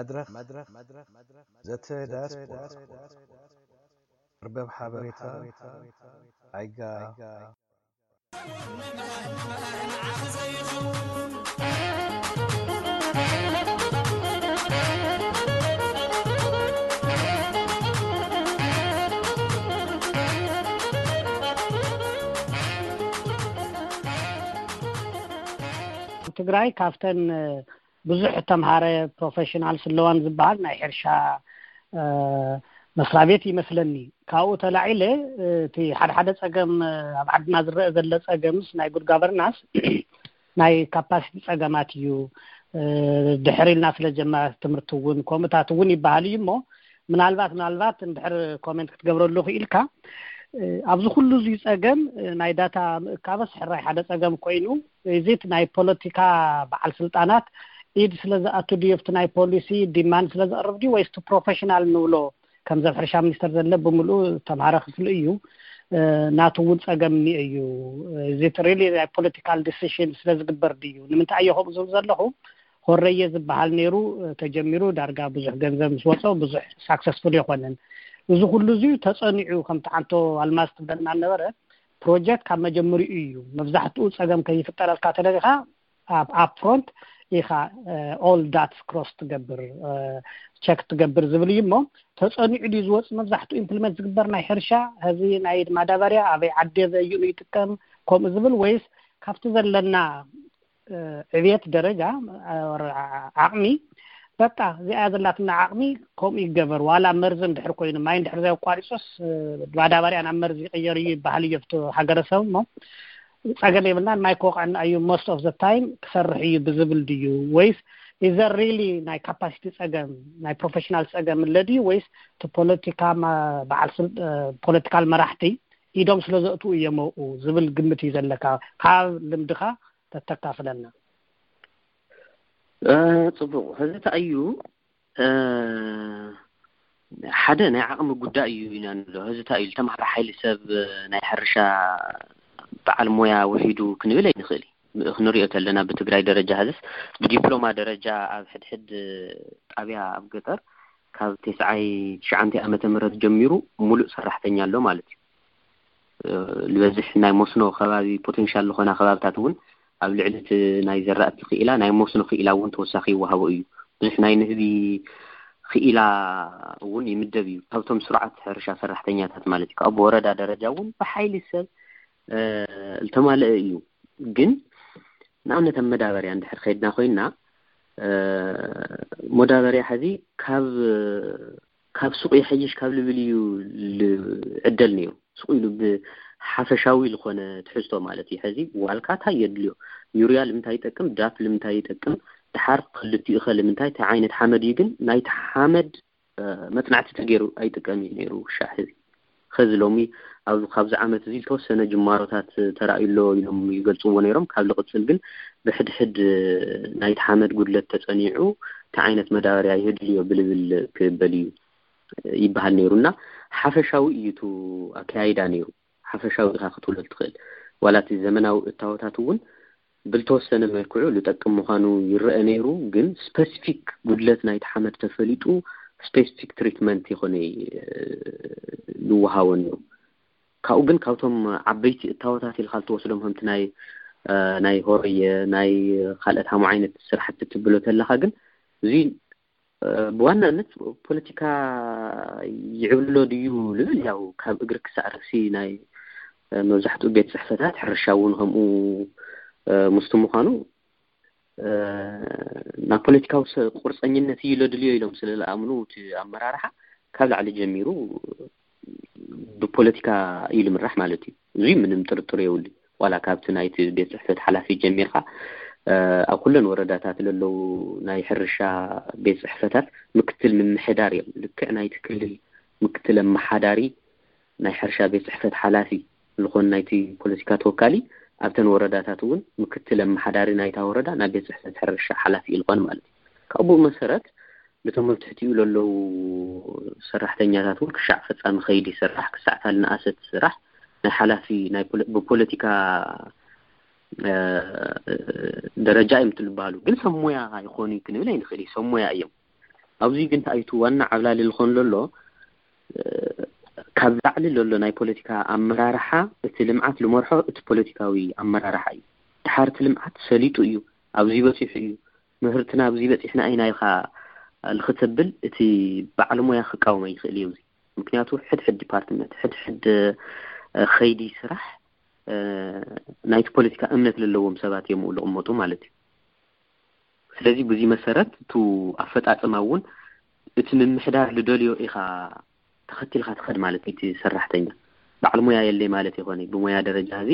መድረኽ ዘተ ዳያስፖራ፣ መርበብ ሓበሬታ ኣይጋ። ትግራይ ካብተን ብዙሕ ተምሃረ ፕሮፌሽናል ስለዋን ዝበሃል ናይ ሕርሻ መስራቤት ይመስለኒ። ካብኡ ተላዒለ እቲ ሓደ ሓደ ፀገም ኣብ ዓድና ዝረአ ዘለ ፀገምስ ናይ ጉድ ጋቨርናንስ ናይ ካፓሲቲ ፀገማት እዩ። ድሕር ኢልና ስለ ጀመራት ትምህርቲ እውን ከምኡታት እውን ይበሃል እዩ እሞ ምናልባት ምናልባት እንድሕር ኮሜንት ክትገብረሉ ክኢልካ ኣብዚ ኩሉ እዚ ፀገም ናይ ዳታ ምእካበስ ሕራይ ሓደ ፀገም ኮይኑ እዚት ናይ ፖለቲካ በዓል ስልጣናት ኢድ ስለ ዝኣቱ ድዩ ኣብቲ ናይ ፖሊሲ ዲማንድ ስለ ዘቕርብ ድዩ ወይስ እቲ ፕሮፌሽናል ንብሎ ከምዚ ኣብ ሕርሻ ሚኒስተር ዘለ ብምልኡ ተምሃረ ክፍሊ እዩ ናቱ እውን ፀገም እኒኦ እዩ። እዚት ሪሊ ናይ ፖለቲካል ዲሲሽን ስለ ዝግበር ድዩ? ንምንታይ እየ ከምኡ ዝብል ዘለኹ? ሆረየ ዝበሃል ነይሩ ተጀሚሩ ዳርጋ ብዙሕ ገንዘብ ምስ ወፀ ብዙሕ ሳክሰስፉል የኮነን። እዚ ኩሉ እዚ ተፀኒዑ ከምቲ ዓንቶ ኣልማዝ ትብለና ነበረ ፕሮጀክት ካብ መጀመሪኡ እዩ። መብዛሕትኡ ፀገም ከይፍጠረልካ ተደሊኻ ኣብ ኣፕፍሮንት ኢኻ ኦል ዳትስ ክሮስ ትገብር ቸክ ትገብር ዝብል እዩ እሞ ተፀኒዑ ድዩ ዝወፅ መብዛሕትኡ ኢምፕሊመንት ዝግበር ናይ ሕርሻ ሕዚ ናይ ማዳበርያ ኣበይ ዓዲ በይኑ ይጥቀም ከምኡ ዝብል ወይስ ካብቲ ዘለና ዕብየት ደረጃ ዓቕሚ በቃ እዚኣ ዘላትና ዓቕሚ ከምኡ ይገበር ዋላ መርዚ እንድሕር ኮይኑ ማይ እንድሕር ዘየቋሪፆስ ማዳበርያ ናብ መርዚ ይቕየር እዩ ይበሃል እዩ ኣብቲ ሃገረሰብ እሞ ፀገም የብልናን ማይ ክወቕዐና እዩ most of the time ክሰርሕ እዩ ብዝብል ድዩ ወይስ is there really ናይ ካፓሲቲ ፀገም ናይ ፕሮፌሽናል ፀገም እለ ድዩ ወይስ እቲ ፖለቲካ በዓል ፖለቲካል መራሕቲ ኢዶም ስለ ዘእትዉ እዮም ኣብኡ ዝብል ግምት እዩ ዘለካ ካብ ልምድኻ ተተካፍለና። ፅቡቕ ሕዚ እንታይ እዩ ሓደ ናይ ዓቕሚ ጉዳይ እዩ ኢና ንብሎ። ሕዚ እንታይ እዩ ዝተምሃረ ሓይሊ ሰብ ናይ ሕርሻ በዓል ሞያ ውሒዱ ክንብል ኣይንኽእል። ክንሪኦ ተለና ብትግራይ ደረጃ ሕዝስ ብዲፕሎማ ደረጃ ኣብ ሕድሕድ ጣብያ ኣብ ገጠር ካብ ተስዓይ ትሽዓንተ ዓመተ ምህረት ጀሚሩ ሙሉእ ሰራሕተኛ ኣሎ ማለት እዩ። ዝበዝሕ ናይ መስኖ ከባቢ ፖቴንሻል ዝኾና ከባብታት እውን ኣብ ልዕሊ እቲ ናይ ዘራእቲ ክኢላ ናይ መስኖ ክኢላ እውን ተወሳኺ ይወሃቦ እዩ። ብዙሕ ናይ ንህቢ ክኢላ እውን ይምደብ እዩ ካብቶም ስሩዓት ሕርሻ ሰራሕተኛታት ማለት እዩ። ካብ ወረዳ ደረጃ እውን ብሓይሊ ሰብ ዝተማለአ እዩ። ግን ንኣብነት ኣብ መዳበርያ እንድሕር ከይድና ኮይና መዳበርያ ሕዚ ካብ ካብ ሱቕ ይሐይሽ ካብ ልብል እዩ ዕደል ነይሩ። ሱቕ ኢሉ ብሓፈሻዊ ዝኾነ ትሕዝቶ ማለት እዩ። ሕዚ ዋልካ እንታይ የድልዮ፣ ዩርያ ልምንታይ ይጠቅም፣ ዳፕ ልምንታይ ይጠቅም፣ ድሓር ክልቲኡ ኸ ልምንታይ፣ እንታይ ዓይነት ሓመድ እዩ ግን ናይቲ ሓመድ መፅናዕቲ ተገይሩ ኣይጥቀም እዩ ነይሩ ውሻ ሕዚ። ኸዚ ሎሚ ኣብዚ ካብዚ ዓመት እዚ ዝተወሰነ ጅማሮታት ተራእዩ ኣሎ ኢሎም ይገልፅዎ ነይሮም። ካብ ልቕፅል ግን ብሕድሕድ ናይቲ ሓመድ ጉድለት ተፀኒዑ እንታይ ዓይነት መዳበርያ የድልዮ ብልብል ክበል እዩ ይበሃል ነይሩ እና ሓፈሻዊ እዩ እቲ ኣካያይዳ ነይሩ። ሓፈሻዊ ኢኻ ክትብሎ ትኽእል። ዋላ እቲ ዘመናዊ እታወታት እውን ብልተወሰነ መልክዑ ልጠቅም ምዃኑ ይረአ ነይሩ፣ ግን ስፐሲፊክ ጉድለት ናይቲ ሓመድ ተፈሊጡ ስፔሲፊክ ትሪትመንት ይኾነ ይወሃቦ ነይሩ። ካብኡ ግን ካብቶም ዓበይቲ እታወታት ኢልካ ልትወስዶም ከምቲ ናይ ናይ ሆረየ ናይ ካልኦት ሃሙ ዓይነት ስራሕቲ ትብሎ ተለካ ግን እዚ ብዋናነት ፖለቲካ ይዕብልሎ ድዩ ልብል ያው ካብ እግሪ ክሳዕ ርእሲ ናይ መብዛሕትኡ ቤት ፅሕፈታት ሕርሻ እውን ከምኡ ምስቲ ምዃኑ ናብ ፖለቲካዊ ቁርፀኝነት እዩ ለድልዮ ኢሎም ስለ ዝኣምኑ እቲ ኣመራርሓ ካብ ላዕሊ ጀሚሩ ብፖለቲካ እዩ ልምራሕ ማለት እዩ። እዙይ ምንም ጥርጥር የብሉ። ዋላ ካብቲ ናይቲ ቤት ፅሕፈት ሓላፊ ጀሚርካ ኣብ ኩለን ወረዳታት ለለዉ ናይ ሕርሻ ቤት ፅሕፈታት ምክትል ምምሕዳር እዮም። ልክዕ ናይቲ ክልል ምክትል ኣመሓዳሪ ናይ ሕርሻ ቤት ፅሕፈት ሓላፊ ዝኾኑ ናይቲ ፖለቲካ ተወካሊ ኣብተን ወረዳታት እውን ምክትል ኣመሓዳሪ ናይታ ወረዳ ናይ ቤት ፅሕፈት ሕርሻ ሓላፊ እዩ ዝኾን ማለት እዩ። ካብኡ መሰረት ነቶም ኣብ ትሕቲኡ ለለዉ ሰራሕተኛታት እውን ክሻዕ ፈፃሚ ከይዲ ይስራሕ፣ ክሳዕ ታልኒ ኣሰት ይስራሕ። ናይ ሓላፊ ናይ ፖለ- ብፖለቲካ ደረጃ እዮም ትልበሃሉ፣ ግን ሰብ ሞያ ይኾኑ እዩ ክንብል ኣይንኽእል እዩ። ሰብ ሞያ እዮም። ኣብዚ ግን እንታይ እዩ እቲ ዋና ዓብላሊ ዝኾን ዘሎ? ካብ ላዕሊ ዘሎ ናይ ፖለቲካ ኣመራርሓ እቲ ልምዓት ልመርሖ እቲ ፖለቲካዊ ኣመራርሓ እዩ። ድሓር እቲ ልምዓት ሰሊጡ እዩ፣ ኣብዚ በፂሑ እዩ፣ ምህርትና ኣብዚ በፂሕና ኢና ኢኻ ንክተብል እቲ በዓል ሞያ ክቃወም ኣይኽእል እዩ። እዚ ምክንያቱ ሕድሕድ ዲፓርትመንት፣ ሕድሕድ ከይዲ ስራሕ ናይቲ ፖለቲካ እምነት ለለዎም ሰባት እዮም ዝቕመጡ ማለት እዩ። ስለዚ ብዙ መሰረት እቲ ኣፈፃፅማ እውን እቲ ምምሕዳር ዝደልዮ ኢኻ ተኸቲልካ ትኸድ ማለት እዩ። እቲ ሰራሕተኛ በዓል ሞያ የለይ ማለት ይኾነ። ብሞያ ደረጃ እዚ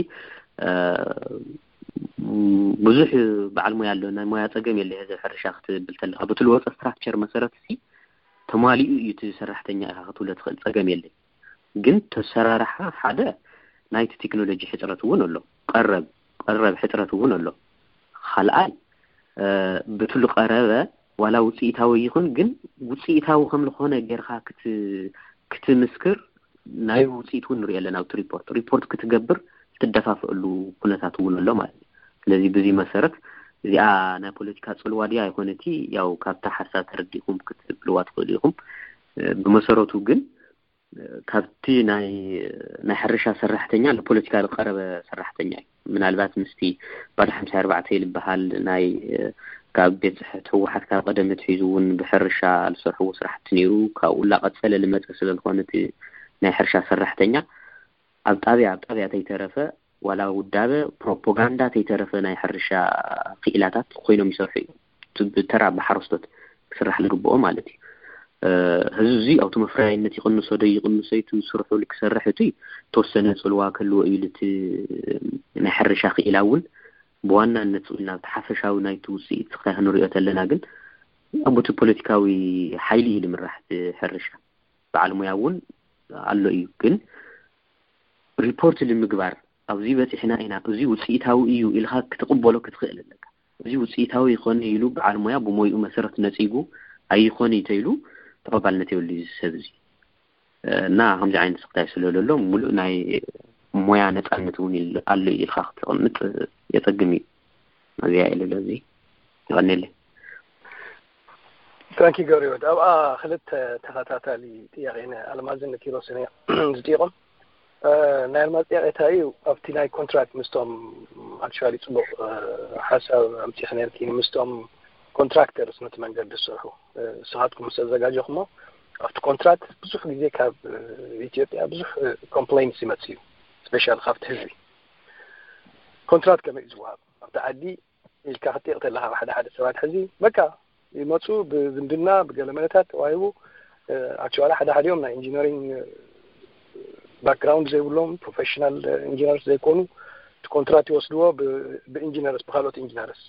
ብዙሕ በዓል ሞያ ኣሎ፣ ናይ ሞያ ፀገም የለ። እዚ ሕርሻ ክትብል ተለካ ብቲ ዝወፀ ስትራክቸር መሰረት ሲ ተማሊኡ እዩ እቲ ሰራሕተኛ ኢኻ ክትብሎ ትኽእል፣ ፀገም የለ። ግን ተሰራርሓ ሓደ ናይቲ ቴክኖሎጂ ሕፅረት እውን ኣሎ፣ ቀረብ ቀረብ ሕፅረት እውን ኣሎ። ካልኣይ ብትሉ ቀረበ ዋላ ውፅኢታዊ ይኹን ግን ውፅኢታዊ ከም ዝኾነ ጌርካ ክትምስክር ናይ ውፅኢት እውን ንሪኦ ኣለና። ኣብቲ ሪፖርት ሪፖርት ክትገብር ትደፋፍእሉ ኩነታት እውን ኣሎ ማለት እዩ። ስለዚ ብዚ መሰረት እዚኣ ናይ ፖለቲካ ፅልዋ ድያ ኣይኮነቲ፣ ያው ካብታ ሓሳብ ተረዲእኩም ክትብልዋ ትኽእሉ ኢኹም። ብመሰረቱ ግን ካብቲ ናይ ናይ ሕርሻ ሰራሕተኛ ንፖለቲካ ዝቀረበ ሰራሕተኛ እዩ። ምናልባት ምስቲ ባዶ ሓምሳ ኣርባዕተ ዝበሃል ናይ ካብ ቤት ፅሕፈት ህወሓት ካብ ቀደም ኣትሒዙ እውን ብሕርሻ ዝሰርሕዎ ስራሕቲ ነይሩ፣ ካብኡ ላቀፀለ ልመፀ ስለዝኾነ እቲ ናይ ሕርሻ ሰራሕተኛ ኣብ ጣብያ ኣብ ጣብያ ተይተረፈ ዋላ ውዳበ ፕሮፓጋንዳ ተይተረፈ ናይ ሕርሻ ክኢላታት ኮይኖም ይሰርሑ እዮም። ብተራ ብሓረስቶት ክስራሕ ዝግብኦ ማለት እዩ። ህዝቢ እዚ ኣብቲ መፍረያይነት ይቕንሶ ዶ ይቕንሶ እቲ ስርሑ ክሰርሕ እቲ ተወሰነ ፅልዋ ክህልዎ እዩ። እቲ ናይ ሕርሻ ክኢላ እውን ብዋናነት ናብቲ ሓፈሻዊ ናይቲ ውፅኢት ስክታይ ክንሪኦ ተለና ግን ኣብቲ ፖለቲካዊ ሓይሊ እዩ ዝምራሕ እቲ ሕርሻ። በዓል ሙያ እውን ኣሎ እዩ። ግን ሪፖርት ንምግባር ኣብዚ በፂሕና ኢና፣ እዚ ውፅኢታዊ እዩ ኢልካ ክትቕበሎ ክትኽእል ኣለካ። እዚ ውፅኢታዊ ይኾነ ኢሉ በዓል ሙያ ብሞይኡ መሰረት ነፂጉ ኣይኾነ ተይሉ ተቐባልነት የብሉ እዚ ሰብ እዚ። እና ከምዚ ዓይነት ስክታይ ስለ ዘሎ ምሉእ ናይ ሞያ ነፃነት እውን ኣሎ ኢልካ ክትቕምጥ የፀግም እዩ። እዚኣ ኢለ እዚ ይቐኒለይ። ታንኪ ገብረወድ ኣብኣ ክልተ ተኸታታሊ ጥያቄ ነ ኣልማዝን ንኪሮስን እዮም ዝጥይቆም። ናይ ኣልማዝ ጥያቄ እንታይ እዩ? ኣብቲ ናይ ኮንትራክት ምስቶም ኣክቹዋሊ ፅቡቅ ሓሳብ ኣምፂእኺ ነርኪ። ምስቶም ኮንትራክተርስ ነቲ መንገዲ ዝሰርሑ ንስኻትኩም ምስ ኣዘጋጀኹሞ ኣብቲ ኮንትራክት ብዙሕ ግዜ ካብ ኢትዮጵያ ብዙሕ ኮምፕሌንስ ይመፅ እዩ። ስፔሻል ካብቲ ህዝቢ ኮንትራክት ከመይ እዩ ዝወሃብ ኣብቲ ዓዲ ኢልካ ክትጥይቕ ተለኻ ሓደ ሓደ ሰባት ሕዚ በቃ ይመፁ ብዝምድና ብገለ መለታት ተዋሂቡ። ኣክቹዋሊ ሓደ ሓዲኦም ናይ ኢንጂነሪንግ ባክግራውንድ ዘይብሎም ፕሮፌሽናል ኢንጂነርስ ዘይኮኑ እቲ ኮንትራት ይወስድዎ ብኢንጂነርስ ብካልኦት ኢንጂነርስ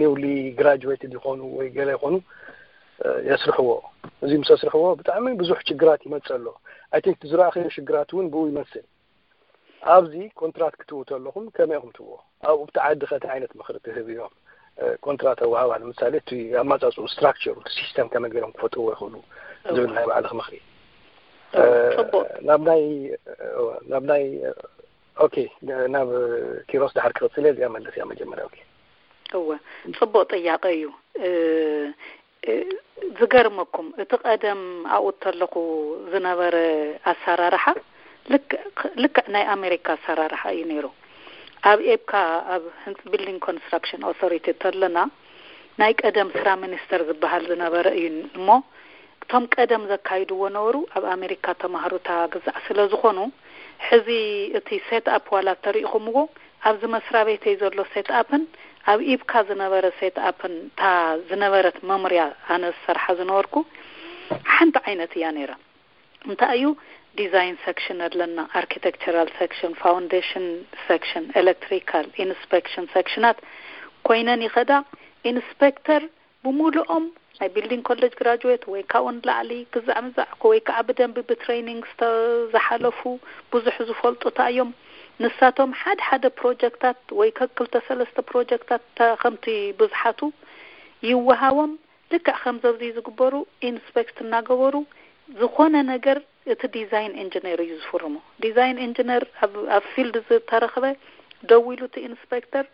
ኒውሊ ግራጁዌትድ ይኾኑ ወይ ገለ ይኾኑ የስርሕዎ። እዚ ምስ ኣስርሕዎ ብጣዕሚ ብዙሕ ችግራት ይመፅእ ኣሎ። ኣይ ቲንክ ዝረኣኸዮ ሽግራት እውን ብኡ ይመስል። ኣብዚ ኮንትራት ክትው ተለኹም ከመይ ኢኹም ትዎ ኣብኡ ብቲ ዓዲ ከቲ ዓይነት ምኽሪ ትህብ እዮም። ኮንትራት ኣዋሃባ ንምሳሌ እቲ ኣማፃፅኡ ስትራክቸሩ እቲ ሲስተም ከመይ ገይሮም ክፈጥርዎ ይኽእሉ ዝብል ናይ ባዕልኽ ምኽሪ። ናብ ናይ ናብ ናይ ኦኬ ናብ ኪሮስ ድሓር ክቕፅል እየ። እዚኣ መለስ እያ መጀመርያ። ኦኬ እወ ፅቡቅ ጥያቄ እዩ። ዝገርመኩም እቲ ቀደም ኣብኡ ተለኹ ዝነበረ ኣሰራርሓ ልክዕ ናይ ኣሜሪካ ኣሰራርሓ እዩ ነይሩ። ኣብ ኤብካ ኣብ ህንፅ ቢልዲንግ ኮንስትራክሽን ኦቶሪቲ ተለና ናይ ቀደም ስራ ሚኒስተር ዝበሃል ዝነበረ እዩ እሞ እቶም ቀደም ዘካይድዎ ነበሩ። ኣብ ኣሜሪካ ተማሃሩታ ግዛዕ ስለ ዝኾኑ ሕዚ እቲ ሴት ኣፕ ዋላ ተሪእኹምዎ ኣብዚ መስሪያ ቤተይ ዘሎ ሴት ኣፕን ኣብ ኢብካ ዝነበረ ሴት ኣፕን እታ ዝነበረት መምርያ ኣነ ዝሰርሓ ዝነበርኩ ሓንቲ ዓይነት እያ ነይራ። እንታይ እዩ ዲዛይን ሰክሽን ኣለና፣ ኣርኪቴክቸራል ሰክሽን፣ ፋውንዴሽን ሰክሽን፣ ኤሌክትሪካል ኢንስፔክሽን ሰክሽናት ኮይነን ይኸዳ። ኢንስፔክተር ብሙሉኦም ናይ ቢልዲንግ ኮሌጅ ግራጁዌት ወይ ካብኡ ንላዕሊ ግዛዕ ምዛዕ ወይ ከዓ ብደንቢ ብትሬኒንግ ዝተዝሓለፉ ብዙሕ ዝፈልጡ እንታይ እዮም ንሳቶም ሓደ ሓደ ፕሮጀክታት ወይ ከክልተ ሰለስተ ፕሮጀክታት ከምቲ ብዝሓቱ ይወሃቦም። ልክዕ ከምዚ ኣብዚ ዝግበሩ ኢንስፔክት እናገበሩ ዝኾነ ነገር እቲ ዲዛይን ኢንጂነር እዩ ዝፍርሞ። ዲዛይን ኢንጂነር ኣብ ፊልድ ዝተረኽበ ደዊሉ እቲ ኢንስፔክተር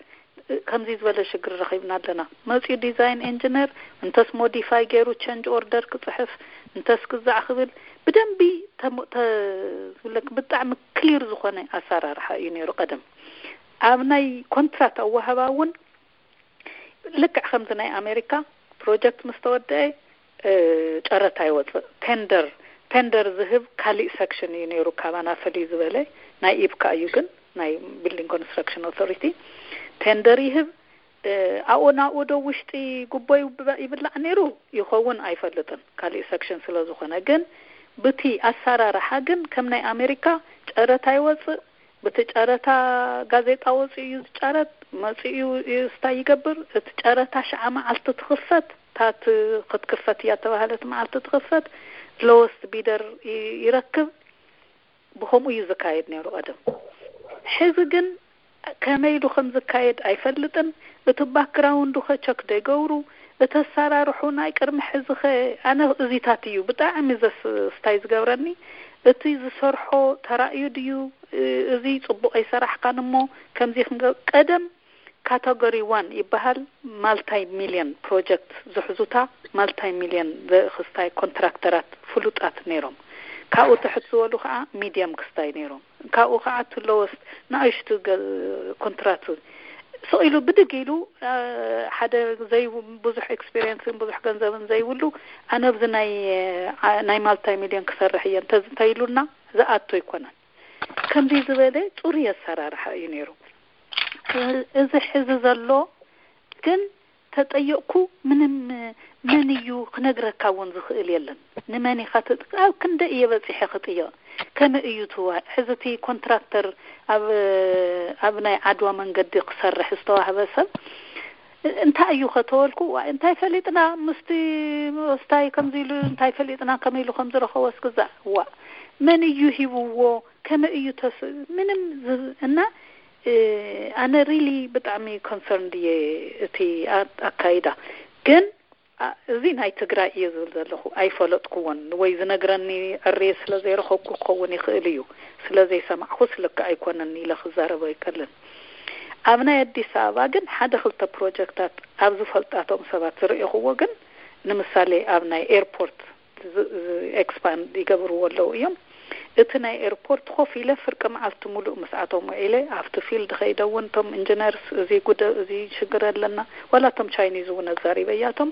ከምዚ ዝበለ ሽግር ረኺብና ኣለና። መፂኡ ዲዛይን ኢንጂነር እንተስ ሞዲፋይ ገይሩ ቸንጅ ኦርደር ክፅሕፍ እንተስ ክዛዕ ክብል ብደንቢ ዝብለክ ብጣዕሚ ክሊር ዝኾነ ኣሰራርሓ እዩ ነይሩ ቀደም። ኣብ ናይ ኮንትራት ኣወሃባ እውን ልክዕ ከምዚ ናይ ኣሜሪካ ፕሮጀክት ምስ ተወደአ ጨረታ ይወፅእ። ቴንደር ቴንደር ዝህብ ካሊእ ሰክሽን እዩ ነይሩ። ካባና ፍልይ ዝበለ ናይ ኢብካ እዩ፣ ግን ናይ ቢልዲንግ ኮንስትራክሽን ኦቶሪቲ ቴንደር ይህብ። ኣብኡ ናብኡ ዶ ውሽጢ ጉቦ ይብላዕ ነይሩ ይኸውን ኣይፈልጥን፣ ካሊእ ሰክሽን ስለ ዝኾነ። ግን ብቲ ኣሰራርሓ ግን ከም ናይ ኣሜሪካ ጨረታ ይወፅእ። ብቲ ጨረታ ጋዜጣ ወፂኡ እዩ ዝጨረጥ። መፂኡ እዩ ስታይ ይገብር። እቲ ጨረታ ሽዓ መዓልቲ ትኽፈት፣ ታት ክትክፈት እያ ተባህለት መዓልቲ ትኽፈት። ሎወስት ቢደር ይረክብ። ብከምኡ እዩ ዝካየድ ነይሩ ቀደም። ሕዚ ግን ከመይ ኢሉ ከም ዝካየድ ኣይፈልጥን። እቲ ባክግራውንዱ ኸ ቸክ ደይገብሩ፣ እቲ ኣሰራርሑ ናይ ቅድሚ ሕዚ ኸ ኣነ እዚታት እዩ ብጣዕሚ ዘስታይ ዝገብረኒ። እቲ ዝሰርሖ ተራእዩ ድዩ? እዚ ጽቡቕ ኣይሰራሕካን እሞ ከምዚ ክንገ-፣ ቀደም ካተጎሪ ዋን ይበሃል። ማልታይ ሚልዮን ፕሮጀክት ዝሕዙታ ማልታይ ሚልዮን ዘእኽስታይ ኮንትራክተራት ፍሉጣት ነይሮም። ካብኡ ትሕት ዝበሉ ከዓ ሚድየም ክስታይ ነይሮም። ካብኡ ከዓ ትለወስ ንኣሽቱ ገ-፣ ኮንትራት ስቕ ኢሉ ብድግ ኢሉ፣ አ፣ ሓደ ዘይ-፣ ብዙሕ ኤክስፔሪየንስን ብዙሕ ገንዘብን ዘይብሉ ኣነ ኣብዚ ናይ፣ አ፣ ናይ ማልታይ ሚልዮን ክሰርሕ እየ እንተ-፣ እንተኢሉና ዝኣቶ ኣይኮነን። ከምዚ ዝበለ ጽሩይ ኣሰራርሓ እዩ ነይሩ። እዚ ሕዚ ዘሎ ግን ተጠየቕኩ ምንም መን እዩ ክነግረካ እውን ዝኽእል የለን። ንመን ኢኻ ትጥ-፣ ኣብ ክንደይ እየ በፂሐ ክጥየቕ? ከመይ እዩ ትዋ-፣ ሕዚ እቲ ኮንትራክተር ኣብ፣ ኣብ ናይ ዓድዋ መንገዲ ክሰርሕ ዝተዋህበ ሰብ እንታይ እዩ ከተበልኩ? ዋ፣ እንታይ ፈሊጥና ምስቲ ስታይ ከምዚ ኢሉ እንታይ ፈሊጥና ከመይ ኢሉ ከም ዝረኸቦ እስክዛ። ዋ፣ መን እዩ ሂብዎ? ከመይ እዩ ተስ-፣ ምንም ዝ-፣ እና፣ እ፣ ኣነ ሪሊ ብጣዕሚ ኮንሰርንድ እየ እቲ ኣ-፣ ኣካይዳ። ግን፣ ኣ-፣ እዚ ናይ ትግራይ እየ ዝብል ዘለኹ። ኣይፈለጥኩዎን ወይ ዝነግረኒ ዕርየ ስለ ዘይረኸብኩ ክኸውን ይኽእል እዩ። ስለ ዘይሰማዕኩስ ልክዕ ኣይኮነን ኢለ ክዛረብ ኣይክእልን። ኣብ ናይ ኣዲስ ኣበባ ግን ሓደ ክልተ ፕሮጀክታት ኣብ ዝፈልጣቶም ሰባት ዝረእኹዎ ግን፣ ንምሳሌ ኣብ ናይ ኤርፖርት ዝ-፣ ዝ-፣ ኤክስፓንድ ይገብርዎ ኣለዉ እዮም። እቲ ናይ ኤርፖርት ኮፍ ኢለ ፍርቂ መዓልቲ ሙሉእ ምስኣቶም ውዒለ፣ ኣብቲ ፊልድ ከይደ እውን እቶም ኢንጂነርስ እዚ ጉደ-፣ እዚ ሽግር ኣለና፣ ዋላ እቶም ቻይኒዝ እውን ኣዛሪበያቶም።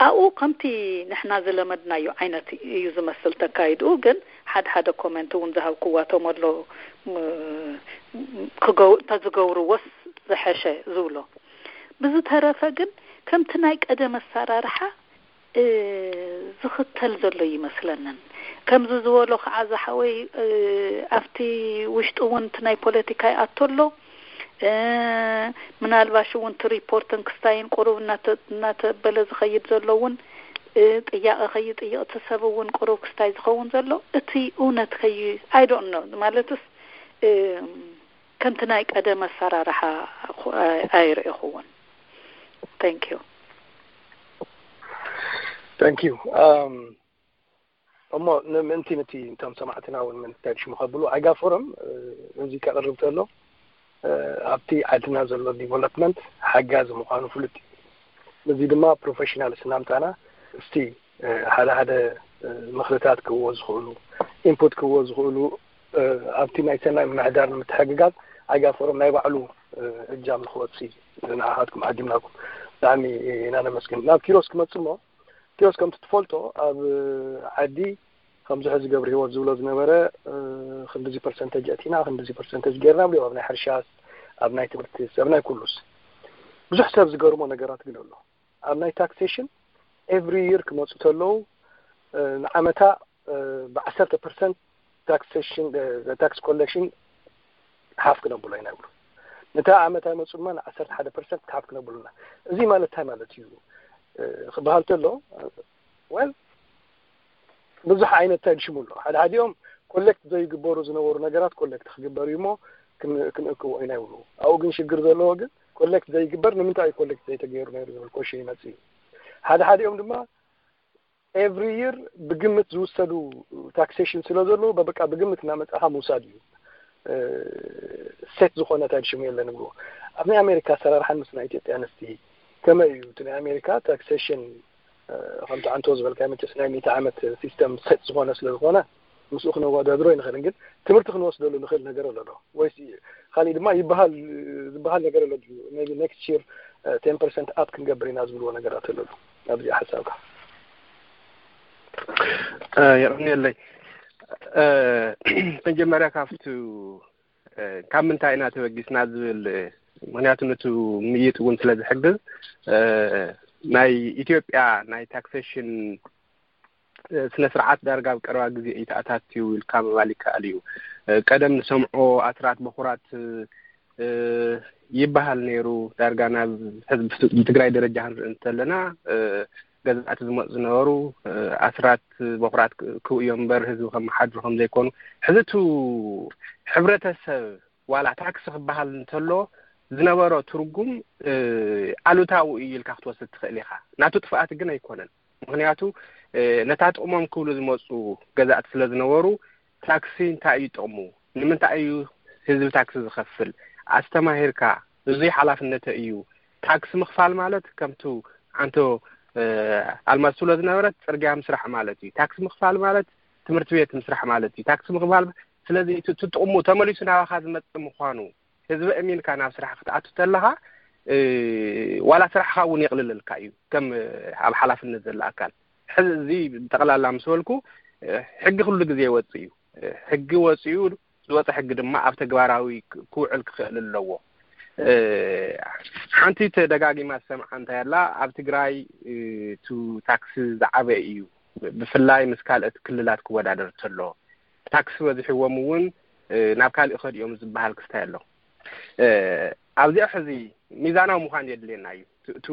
ኣብኡ ከምቲ ንሕና ዝለመድናዮ ዓይነት እዩ ዝመስል ተካይድኡ፣ ግን ሓደ ሓደ ኮመንት እውን ዝሃብክዋቶም ኣሎ፣ ም-፣ ክገው-፣ እንተዝገብርዎስ ዝሐሸ ዝብሎ። ብዝተረፈ ግን ከምቲ ናይ ቀደም ኣሰራርሓ እ፣ ዝኽተል ዘሎ ይመስለንን። ከምዚ ዝበሎ ከዓ ዝሓወይ፣ እ፣ ኣብቲ ውሽጢ እውን እቲ ናይ ፖለቲካ ይኣቶ ኣሎ። እ፣ ምናልባሽ እውን እቲ ሪፖርትን ክስታይን ቁሩብ እናተ-፣ እናተበለ ዝኸይድ ዘሎ እውን፣ እ፣ ጥያቐ ከይጥይቕ እቲ ሰብ እውን ቁሩብ ክስታይ ዝኸውን ዘሎ፣ እቲ እውነት ከይ-፣ I don't know፣ ማለትስ፣ እ፣ ከምቲ ናይ ቀደም ኣሰራርሓ ኣኹ-፣ ኣይ-፣ ኣይርእኹዎን። Thank you። Thank you። ኣም፣ እሞ ንምእንቲ ነቲ እቶም ሰማዕትና እውን ምንታይ ሽሙ ከብሉ፣ ኣይጋ ፎረም፣ እ፣ እዚ ከቕርብ ተሎ፣ እ፣ ኣብቲ ዓድና ዘሎ ዲቨሎፕመንት ሓጋዚ ምዃኑ ፍሉጥ እዩ። እዚ ድማ ፕሮፌሽናል ስናምጣና እስቲ፣ እ፣ ሓደ ሓደ፣ እ፣ ምኽርታት ክህብዎ ዝኽእሉ፣ ኢንፑት ክህብዎ ዝኽእሉ፣ እ፣ ኣብቲ ናይ ሰናይ ምምሕዳር ንምትሕግጋዝ ኣይጋ ፎረም ናይ ባዕሉ፣ እ፣ እጃም ንክወፅእ ንዓኻትኩም ዓዲምናኩም። ብጣዕሚ ኢና ነመስግን። ናብ ኪሮስ ክመጽእ እሞ፣ ኪሮስ ከምቲ ትፈልጦ ኣብ ዓዲ ከምዚ ሕዚ ገብረ ህይወት ዝብሎ ዝነበረ፣ እ፣ ክንድዚ ፐርሰንተጅ ኣእቲና፣ ክንድዚ ፐርሰንተጅ ጌርና ብሎ ኣብ ናይ ሕርሻስ፣ ኣብ ናይ ትምህርቲስ፣ ኣብ ናይ ኩሉስ። ብዙሕ ሰብ ዝገርሞ ነገራት ግን ኣሎ። ኣብ ናይ ታክሴሽን ኤቭሪ ይር ክመጹ ተለዉ፣ እ፣ ንዓመታ፣ እ፣ ብዓሰርተ ፐርሰንት ታክሴሽን፣ እ፣ ታክስ ኮሌክሽን ሓፍ ክነብሎ ኢና ይብሉ። ነታ ዓመት ኣይመጹ ድማ ንዓሰርተ ሓደ ፐርሰንት ሓፍ ክነብሉና። እዚ ማለት እንታይ ማለት እዩ፣ እ፣ ክበሃል ተሎ፣ እ፣ ወል ብዙሕ ዓይነት እንታይ ድሽሙ ኣሎ። ሓደ ሓዲኦም ኮሌክት ዘይግበሩ ዝነበሩ ነገራት ኮሌክት ክግበር እዩ እሞ ክን-፣ ክንእክቦ ኢና ይብሉ። ኣብኡ ግን ሽግር ዘለዎ ግን ኮሌክት ዘይግበር ንምንታይ እዩ ኮሌክት ዘይተገይሩ ነይሩ ዝብል ኮሽን ይመጽእ እዩ። ሓደ ሓዲኦም ድማ ኤቭሪ ይር ብግምት ዝውሰዱ ታክሴሽን ስለ ዘለዉ በቃ ብግምት እናመጻኻ ምውሳድ እዩ። እ፣ ሴት ዝኾነ እንታይ ድሽሙ የለን ይብሉ። ኣብ ናይ ኣሜሪካ ኣሰራርሓን ምስ ናይ ኢትዮጵያ ንስቲ ከመይ እዩ? እቲ ናይ ኣሜሪካ ታክሴሽን ከምቲ ዓንቶ ዝበልካ መቸስ ናይ ሚእቲ ዓመት ሲስተም ሰጥ ዝኾነ ስለ ዝኾነ ምስኡ ክነወዳድሮ ይንኽእል። ግን ትምህርቲ ክንወስደሉ ንኽእል ነገር ኣሎ ዶ? ወይስ ካልእ ድማ ይበሃል ዝበሃል ነገር ኣሎ ድዩ? maybe next year ten percent up ክንገብር ኢና ዝብልዎ ነገራት ኣሎ ዶ? ኣብዚኣ ሓሳብካ። የቕንየለይ። መጀመርያ ካብቲ ካብ ምንታይ ኢና ተበጊስና ዝብል፣ ምክንያቱ ነቲ ምይጥ እውን ስለ ዝሕግዝ፣ ናይ ኢትዮጵያ ናይ ታክሴሽን ስነ ስርዓት ዳርጋ ኣብ ቀረባ ግዜ እዩ ተኣታትዩ ኢልካ ምባል ይከኣል እዩ። ቀደም ንሰምዖ ኣስራት በኹራት ይበሃል ነይሩ። ዳርጋ ናብ ሕዚ ብትግራይ ደረጃ ክንርኢ እንተለና ገዛእቲ ዝመፁ ዝነበሩ ኣስራት በኹራት ክው እዮም እምበር ህዝቢ ከመሓድሩ ከም ዘይኮኑ። ሕዚ እቲ ሕብረተሰብ ዋላ ታክሲ ክበሃል እንተሎ ዝነበሮ ትርጉም ኣሉታዊ እዩ ኢልካ ክትወስድ ትኽእል ኢኻ። ናቱ ጥፍኣት ግን ኣይኮነን። ምክንያቱ ነታ ጥቕሞም ክብሉ ዝመፁ ገዛእቲ ስለ ዝነበሩ ታክሲ እንታይ እዩ ጥቕሙ? ንምንታይ እዩ ህዝቢ ታክሲ ዝኸፍል? ኣስተማሂርካ፣ እዙይ ሓላፍነተ እዩ። ታክሲ ምኽፋል ማለት ከምቱ ዓንቶ ኣልማዝ ትብሎ ዝነበረት ፅርግያ ምስራሕ ማለት እዩ። ታክሲ ምኽፋል ማለት ትምህርቲ ቤት ምስራሕ ማለት እዩ። ታክሲ ምኽፋል ስለዚ እቲ ጥቕሙ ተመሊሱ ናባኻ ዝመፅእ ምዃኑ ህዝቢ እሚንካ ናብ ስራሕ ክትኣቱ ተለኻ ዋላ ስራሕኻ እውን የቕልለልካ እዩ ከም ኣብ ሓላፍነት ዘሎ ኣካል። ሕዚ እዚ ጠቕላላ ምስ በልኩ ሕጊ ኩሉ ግዜ ይወፅእ እዩ። ሕጊ ወፅኡ ዝወፀ ሕጊ ድማ ኣብ ተግባራዊ ክውዕል ክኽእል ኣለዎ። ሓንቲ ተደጋጊማ ዝሰምዓ እንታይ ኣላ፣ ኣብ ትግራይ ቱ ታክሲ ዝዓበ እዩ፣ ብፍላይ ምስ ካልኦት ክልላት ክወዳደር ተሎ ታክሲ በዚሕዎም እውን ናብ ካልእ ከድዮም ዝበሃል ክስታይ ኣሎ። ኣብዚኣ ሕዚ ሚዛናዊ ምዃን የድልየና እዩ። እቲ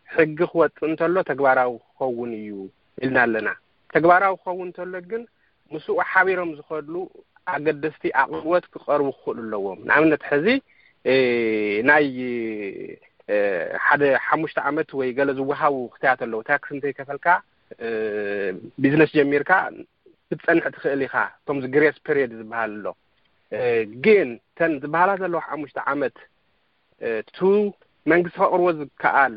ሕጊ ክወፅእ እንተሎ ተግባራዊ ክኸውን እዩ ኢልና ኣለና። ተግባራዊ ክኸውን እንተሎ ግን ምስኡ ሓቢሮም ዝኸድሉ ኣገደስቲ ኣቕርቦት ክቐርቡ ክኽእሉ ኣለዎም። ንኣብነት ሕዚ ናይ ሓደ ሓሙሽተ ዓመት ወይ ገለ ዝወሃቡ ክስታያት ኣለዉ። ታክሲ እንተይከፈልካ ቢዝነስ ጀሚርካ ክትፀንሕ ትኽእል ኢኻ። ከምዚ ግሬስ ፔሪየድ ዝበሃል ኣሎ። ግን ተን ዝበሃላ ዘለዋ ሓሙሽተ ዓመት ቱ መንግስቲ ከቕርቦ ዝከኣል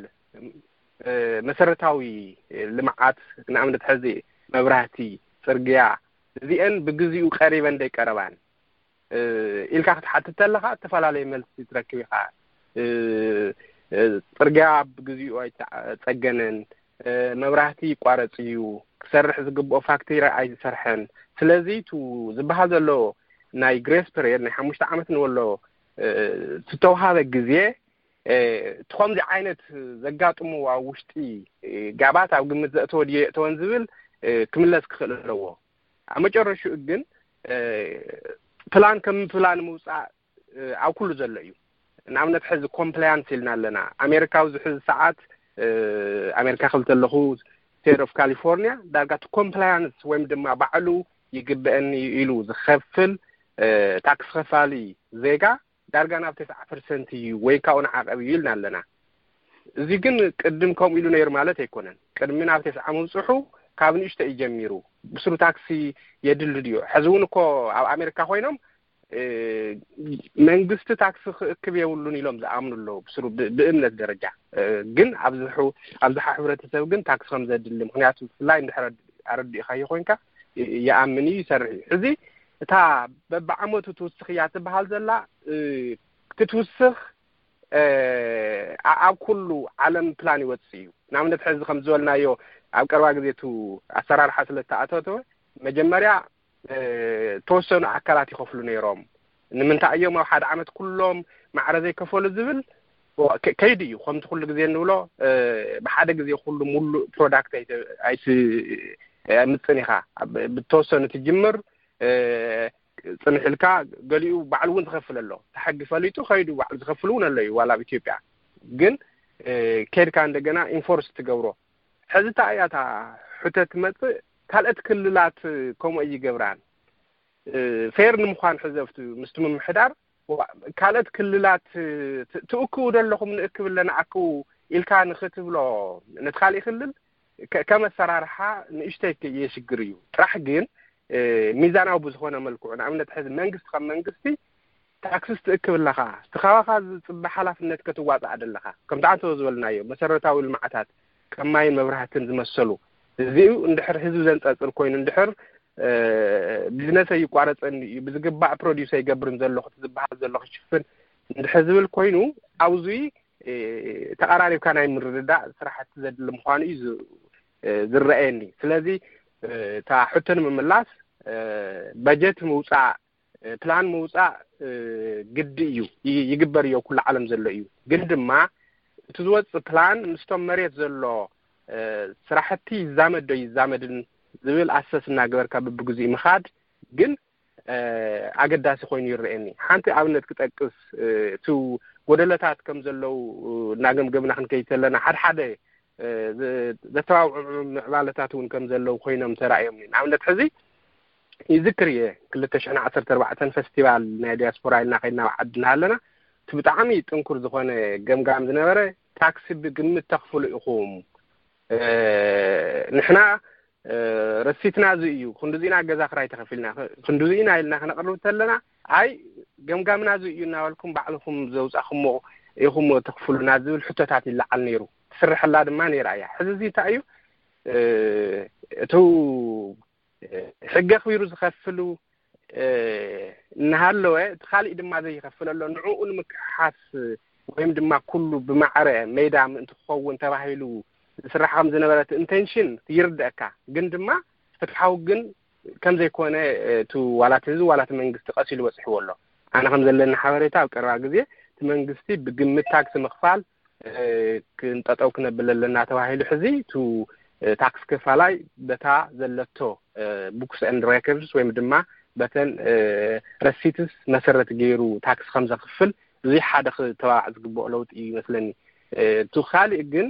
መሰረታዊ ልምዓት፣ ንኣብነት ሕዚ መብራህቲ፣ ፅርግያ፣ እዚአን ብግዚኡ ቀሪበን ደይቀረባን ኢልካ ክትሓትት ተለኻ እተፈላለየ መልሲ ትረክብ ኢኻ። ፅርግያ ብግዚኡ ኣይፀገነን፣ መብራህቲ ይቋረፅ እዩ፣ ክሰርሕ ዝግብኦ ፋክትሪ ኣይሰርሐን። ስለዚ ቱ ዝበሃል ዘሎ ናይ ግሬስ ፔሪየድ ናይ ሓሙሽተ ዓመት ንበሎ ዝተውሃበ ግዜ እቲ ከምዚ ዓይነት ዘጋጥሙ ኣብ ውሽጢ ጋባት ኣብ ግምት ዘእተወ ድዮ የእተወን ዝብል ክምለስ ክኽእል ኣለዎ። ኣብ መጨረሽኡ ግን ፕላን ከም ፕላን ምውፃእ ኣብ ኩሉ ዘሎ እዩ። ንኣብነት ሕዚ ኮምፕላያንስ ኢልና ኣለና። ኣሜሪካ ኣብዚ ሕዚ ሰዓት ኣሜሪካ ክብል ተለኹ ስቴት ኦፍ ካሊፎርኒያ ዳርጋ እቲ ኮምፕላያንስ ወይም ድማ ባዕሉ ይግበአኒ ኢሉ ዝኸፍል ታክስ ከፋሊ ዜጋ ዳርጋ ናብ ተስዓ ፐርሰንት እዩ ወይ ካብኡ ንዓቐብ እዩ ኢልና ኣለና። እዚ ግን ቅድም ከምኡ ኢሉ ነይሩ ማለት ኣይኮነን። ቅድሚ ናብ ተስዓ ምብፅሑ ካብ ንእሽቶ እዩ ጀሚሩ። ብስሩ ታክሲ የድሊ ድዮ? ሕዚ እውን እኮ ኣብ ኣሜሪካ ኮይኖም መንግስቲ ታክሲ ክእክብ የብሉን ኢሎም ዝኣምኑ ኣለዉ ብስሩ ብእምነት ደረጃ። ግን ኣብዝሓ ሕብረተሰብ ግን ታክሲ ከም ዘድሊ፣ ምክንያቱ ብፍላይ እንድሕር ኣረዲእካዮ ኮይንካ ይኣምን እዩ፣ ይሰርሕ እዩ። ሕዚ እታ በብዓመቱ ትውስኽ እያ ትበሃል ዘላ ክትውስኽ ኣብ ኩሉ ዓለም ፕላን ይወፅእ እዩ። ንኣብነት ሕዚ ከም ዝበልናዮ ኣብ ቀረባ ግዜ እቲ ኣሰራርሓ ስለ ዝተኣተወ መጀመርያ ተወሰኑ ኣካላት ይኸፍሉ ነይሮም። ንምንታይ እዮም ኣብ ሓደ ዓመት ኩሎም ማዕረ ዘይከፈሉ ዝብል ከይዲ እዩ። ከምቲ ኩሉ ግዜ እንብሎ ብሓደ ግዜ ኩሉ ሙሉእ ፕሮዳክት ኣይትምፅን ኢኻ። ብተወሰኑ ትጅምር ፅንሕ ኢልካ ገሊኡ ባዕሉ እውን ዝኸፍል ኣሎ። እቲ ሕጊ ፈሊጡ ከይዱ ባዕሉ ዝኸፍል እውን ኣሎ እዩ ዋላ ኣብ ኢትዮጵያ። ግን ከይድካ እንደገና ኢንፎርስ ትገብሮ። ሕዚ እታ እያ እታ ሕቶ ትመፅእ። ካልኦት ክልላት ከምኡ ኣይገብራን። ፌር ንምዃን ሕዚ ኣብቲ ምስቲ ምምሕዳር ካልኦት ክልላት ትእክቡ ዘለኹም ንእክብ ኣለና ኣክቡ ኢልካ ንክትብሎ ነቲ ካሊእ ክልል ከም ኣሰራርሓ ንእሽተይ የሽግር እዩ። ጥራሕ ግን ሚዛናዊ ብዝኾነ መልክዑ ንኣብነት ሕዚ መንግስቲ ከም መንግስቲ ታክስስ ትእክብ ኣለኻ፣ እቲ ካባኻ ዝፅበ ሓላፍነት ከትዋፃእ ኣለኻ። ከምቲ ኣንተ ዝበልናዮ መሰረታዊ ልምዓታት ከም ማይን መብራህትን ዝመሰሉ፣ እዚኡ እንድሕር ህዝቢ ዘንፀፅር ኮይኑ፣ እንድሕር ቢዝነስ ኣይቋረፀኒ እዩ፣ ብዝግባእ ፕሮዲስ ኣይገብርን ዘለኹ፣ እቲ ዝበሃል ዘሎ ክሽፍን እንድሕር ዝብል ኮይኑ፣ ኣብዚ ተቐራሪብካ ናይ ምርድዳእ ስራሕቲ ዘድሊ ምዃኑ እዩ ዝረኣየኒ። ስለዚ እታ ሕቶ ንምምላስ፣ በጀት ምውፃእ፣ ፕላን ምውፃእ ግዲ እዩ፣ ይግበር እዩ፣ ኩሉ ዓለም ዘሎ እዩ። ግን ድማ እቲ ዝወፅእ ፕላን ምስቶም መሬት ዘሎ ስራሕቲ ይዛመድ ዶ ይዛመድን ዝብል ኣሰስ እናገበርካ ብብግዚኡ ምኻድ ግን ኣገዳሲ ኮይኑ ይረኣየኒ። ሓንቲ ኣብነት ክጠቅስ፣ እቲ ጎደለታት ከም ዘለዉ እናገምገምና ክንከይድ ከለና፣ ሓደ ሓደ ዘተባብዑ ምዕባለታት እውን ከም ዘለዉ ኮይኖም ተራእዮም። ንኣብነት ሕዚ ይዝክር እየ፣ ክልተ ሽሕን ዓሰርተ ኣርባዕተን ፈስቲቫል ናይ ዲያስፖራ ኢልና ከይድና ኣብ ዓዲ እናሃለና፣ እቲ ብጣዕሚ ጥንኩር ዝኾነ ገምጋም ዝነበረ፣ ታክሲ ብግምት ተኽፍሉ ኢኹም፣ ንሕና ረሲትና እዚ እዩ፣ ክንድዚና ገዛ ክራይ ተኸፊልና፣ ክንድዚና ኢልና ክነቕርብ ተለና፣ ኣይ ገምጋምና እዚ እዩ እናበልኩም ባዕልኹም ዘውፃኹሞ ኢኹም ተኽፍሉና ዝብል ሕቶታት ይለዓል ነይሩ። ትስርሐላ ድማ ነይራ እያ። ሕዚ እዚ እንታይ እዩ? እቱ ሕጊ ኣኽቢሩ ዝኸፍሉ እናሃለወ፣ እቲ ካሊእ ድማ ዘይኸፍል ኣሎ። ንዕኡ ንምክሕሓስ ወይም ድማ ኩሉ ብማዕረ ሜዳ ምእንቲ ክኸውን ተባሂሉ ዝስራሕ ከም ዝነበረ እቲ ኢንቴንሽን ይርደእካ። ግን ድማ ፍትሓዊ ግን ከም ዘይኮነ እቲ ዋላ እቲ ህዝቢ ዋላ እቲ መንግስቲ ቀስ ኢሉ በፂሕዎ ኣሎ። ኣነ ከም ዘለኒ ሓበሬታ ኣብ ቀረባ ግዜ እቲ መንግስቲ ብግምት ታክሲ ምኽፋል ክንጠጠው ክነብል ኣለና ተባሂሉ ሕዚ እቲ ታክስ ከፋላይ በታ ዘለቶ books and records ወይም ድማ በተን ረሲትስ መሰረት ገይሩ ታክስ ከም ዘኽፍል እዚ ሓደ ክተባባዕ ዝግብኦ ለውጢ እዩ ይመስለኒ። እቲ ካሊእ ግን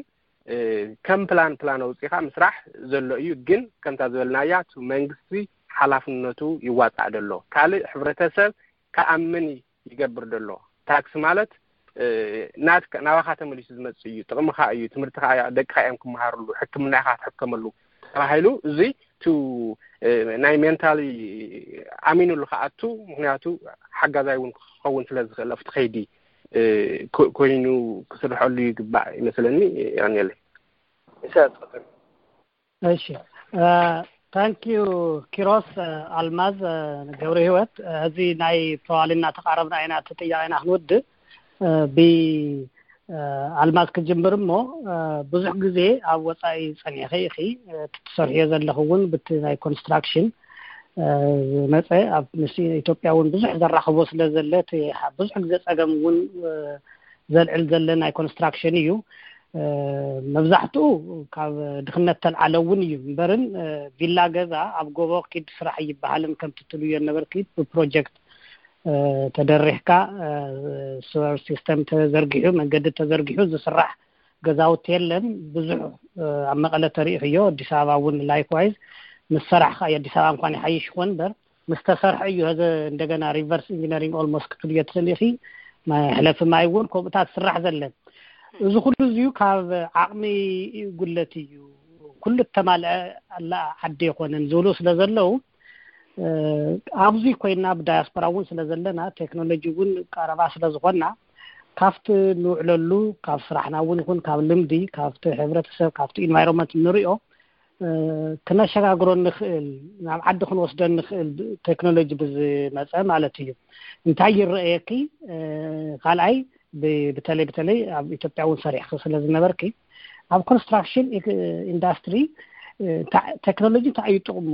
ከም ፕላን ፕላን ኣውፂኻ ምስራሕ ዘሎ እዩ። ግን ከምታ ዝበልናያ እቲ መንግስቲ ሓላፍነቱ ይዋፃእ ደሎ፣ ካልእ ሕብረተሰብ ክኣምን ይገብር ደሎ። ታክስ ማለት ናትካ ናባኻ ተመሊሱ ዝመፅእ እዩ፣ ጥቕምኻ እዩ፣ ትምህርትኻ ደቅኻ እዮም ክመሃርሉ፣ ሕክምና ኢኻ ክትሕከመሉ ተባሂሉ እዚ ቱ ናይ ሜንታሊ ኣሚኑሉ ክኣቱ፣ ምክንያቱ ሓጋዛይ እውን ክኸውን ስለ ዝኽእል ኣብቲ ከይዲ ኮይኑ ክስርሐሉ ይግባእ ይመስለኒ። ያኔለይ እሺ፣ ታንኪዩ ኪሮስ። ኣልማዝ ገብረ ህይወት፣ እዚ ናይ ፕሮባብሊ እናተቃረብና ኢና እቲ ጥያቄና ክንውድእ። ብ ኣልማዝ ክጅምር እሞ፣ ብዙሕ ግዜ ኣብ ወፃኢ ፀኒዕኺ ኢኺ፣ እቲ ትሰርሕዮ ዘለኹ እውን ብቲ ናይ ኮንስትራክሽን ዝመፀ፣ ኣብ ምስ ኢትዮጵያ እውን ብዙሕ ዘራኽቦ ስለ ዘለ፣ እቲ ብዙሕ ግዜ ፀገም እውን ዘልዕል ዘለ ናይ ኮንስትራክሽን እዩ። መብዛሕትኡ ካብ ድኽነት ተልዓለ እውን እዩ እምበርን፣ ቪላ ገዛ ኣብ ጎቦ ኪድ ስራሕ ይበሃልን ከምቲ ትብልዮ ነበርኪ ብፕሮጀክት ተደሪሕካ፣ ስወር ሲስተም ተዘርጊሑ፣ መንገዲ ተዘርጊሑ ዝስራሕ ገዛውቲ የለን። ብዙሕ ኣብ መቐለ ተሪእኽዮ፣ ኣዲስ ኣበባ እውን ላይክዋይዝ ምስ ሰራሕካ እዩ። ኣዲስ ኣበባ እንኳን ይሓይሽ ይኾን እምበር ምስ ተሰርሐ እዩ። ሀዘ እንደገና ሪቨርስ ኢንጂነሪንግ ኦልሞስት ክትብልዮ ትኽእል ኢኺ። ሕለፊ ማይ እውን ከምኡታት ዝስራሕ ዘለን። እዚ ኩሉ እዚዩ ካብ ዓቕሚ ጉለት እዩ። ኩሉ እተማልአ ኣላ ዓዲ ኣይኮነን ዝብሉ ስለ ዘለዉ፣ ኣብዚ ኮይና ብዳያስፖራ እውን ስለ ዘለና፣ ቴክኖሎጂ እውን ቀረባ ስለ ዝኾና፣ ካብቲ ንውዕለሉ፣ ካብ ስራሕና እውን ይኹን ካብ ልምዲ፣ ካብቲ ሕብረተሰብ፣ ካብቲ ኢንቫይሮንመንት ንሪኦ፣ ክነሸጋግሮ ንኽእል፣ ናብ ዓዲ ክንወስዶ ንኽእል ቴክኖሎጂ ብዝመፀ ማለት እዩ። እንታይ ይረኣየኪ? ካልኣይ፣ ብተለይ ብተለይ ኣብ ኢትዮጵያ እውን ሰሪሕኪ ስለ ዝነበርኪ፣ ኣብ ኮንስትራክሽን ኢንዳስትሪ ቴክኖሎጂ እንታይ እዩ ጥቕሙ?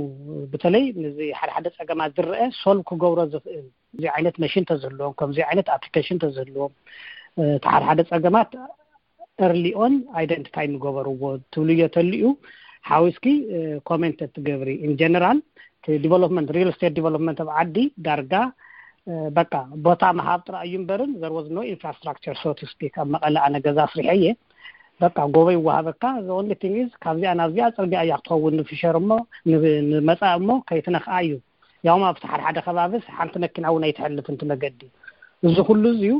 በተለይ ነዚ ሓደ ሓደ ፀገማት ዝረአ ሶልቭ ክገብሮ ዝኽእል፣ እዚ ዓይነት መሽን ተዝህልዎም፣ ከምዚ ዓይነት ኣፕሊኬሽን ተዝህልዎም፣ እቲ ሓደ ሓደ ፀገማት ኤርሊ ኦን ኣይደንቲፋይ ንገበርዎ ትብልዮ ተልዩ ሓዊስኪ ኮሜንት ትገብሪ። ኢን ጀነራል ዲቨሎፕመንት፣ ሪል ስቴት ዲቨሎፕመንት ኣብ ዓዲ ዳርጋ በቃ ቦታ ምሃብ ጥራይ እዩ እምበርን፣ there was no infrastructure, so to speak። ኣብ መቐለ ኣነ ገዛ ኣስሪሐ እየ። በቃ ጎቦ ይወሃበካ፣ the only thing is ካብዚኣ ናብዚኣ ፅርግያ እያ ክትኸውን፣ ንፊሸር እሞ ንመፃእ እሞ ከይትነኽኣ እዩ። ያውም ኣብቲ ሓደ ሓደ ከባብስ ሓንቲ መኪና እውን ኣይትሕልፍ እንት መገዲ። እዚ ኩሉ እዚዩ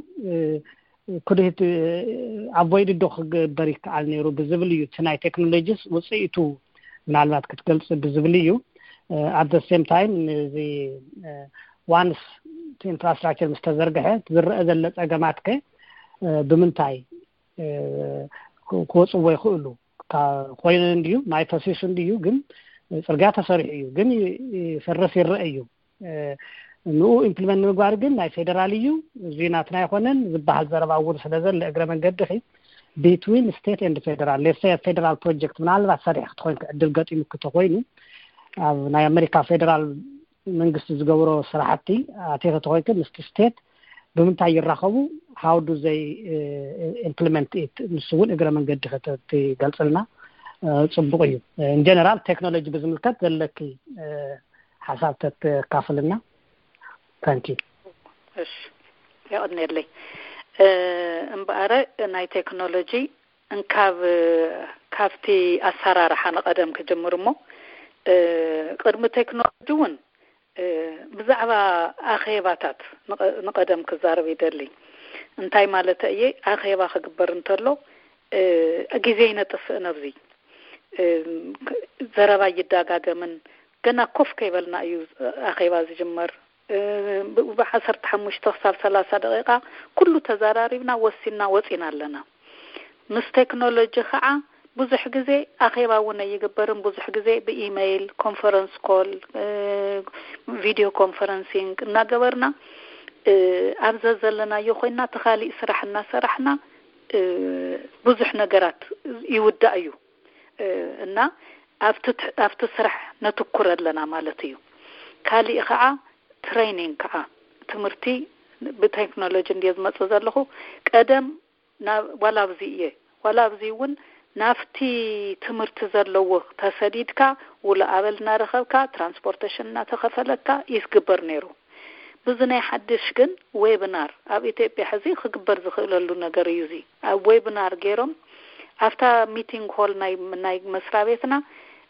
ኩድህት ኣቮይድ ዶ ክግበር ይከኣል ነይሩ ብዝብል እዩ። እቲ ናይ ቴክኖሎጂስ ውፅኢቱ ምናልባት ክትገልፅ ብዝብል እዩ። ኣት ሴም ታይም እዚ ዋንስ እቲ ኢንፍራስትራክቸር ምስ ተዘርግሐ ዝረአ ዘሎ ጸገማት ከ ብምንታይ ክወፅዎ ይኽእሉ? ኮይነ እንድዩ ናይ ፖሲሽን እንድዩ ግን ጽርግያ ተሰሪሑ እዩ ግን ይፈርስ ይረአ እዩ። ንኡ ኢምፕሊመንት ንምግባር ግን ናይ ፌደራል እዩ፣ እዚ ናትና ኣይኮነን ዝበሃል ዘረባ እውን ስለ ዘለ እግረ መንገዲ ኺ ቢትዊን ስቴት ኤንድ ፌደራል ሌሰ ፌደራል ፕሮጀክት ምናልባት ሰሪሕ ክትኮይን ዕድል ገጢሙ ክተኮይኑ ኣብ ናይ ኣሜሪካ ፌደራል መንግስቲ ዝገብሮ ስራሕቲ ኣቴተ ተኮይንክ ምስቲ ስቴት ብምንታይ ይራኸቡ? How do they implement it? ንሱ እውን እግረ መንገዲ ክትገልፅልና ፅቡቅ እዩ። ኢንጀነራል ቴክኖሎጂ ብዝምልከት ዘለኪ ሓሳብ ተካፍልና። ታንኪ። እሺ፣ የቐንየለይ። እምበኣረ ናይ ቴክኖሎጂ እንካብ ካብቲ ኣሰራርሓ ንቐደም ክጅምር እሞ ቅድሚ ቴክኖሎጂ እውን ብዛዕባ ኣኼባታት ንቐደም ክዛረብ ይደሊ። እንታይ ማለት እየ? ኣኼባ ክግበር እንተሎ ግዜ ይነጥፍእ ነብዚ ዘረባ ይዳጋገምን ገና ኮፍ ከይበልና እዩ ኣኼባ ዝጅመር። ብዓሰርተ ሓሙሽተ ክሳብ ሰላሳ ደቂቃ ኩሉ ተዘራሪብና ወሲና ወፂና ኣለና። ምስ ቴክኖሎጂ ከዓ ብዙሕ ግዜ ኣኼባ እውን ኣይግበርን። ብዙሕ ግዜ ብኢመይል፣ ኮንፈረንስ ኮል፣ ቪዲዮ ኮንፈረንሲንግ እናገበርና ኣብ ዘዘለናዮ ኮይና ተኻሊእ ስራሕ እናሰራሕና ብዙሕ ነገራት ይውዳእ እዩ እና ኣብቲ ስራሕ ነትኩር ኣለና ማለት እዩ። ካሊእ ከዓ ትሬኒንግ ከዓ ትምህርቲ ብቴክኖሎጂ እንድየ ዝመፅእ ዘለኹ። ቀደም ዋላ ኣብዚ እየ ዋላ ኣብዚ እውን ናብቲ ትምህርቲ ዘለዎ ተሰዲድካ ውሎ ኣበል እናረኸብካ ትራንስፖርቴሽን እናተኸፈለካ ይዝግበር ነይሩ። ብዚ ናይ ሓድሽ ግን ዌብናር ኣብ ኢትዮጵያ ሕዚ ክግበር ዝኽእለሉ ነገር እዩ። እዚ ኣብ ዌብናር ገይሮም ኣብታ ሚቲንግ ሆል ናይ ናይ መስሪያ ቤትና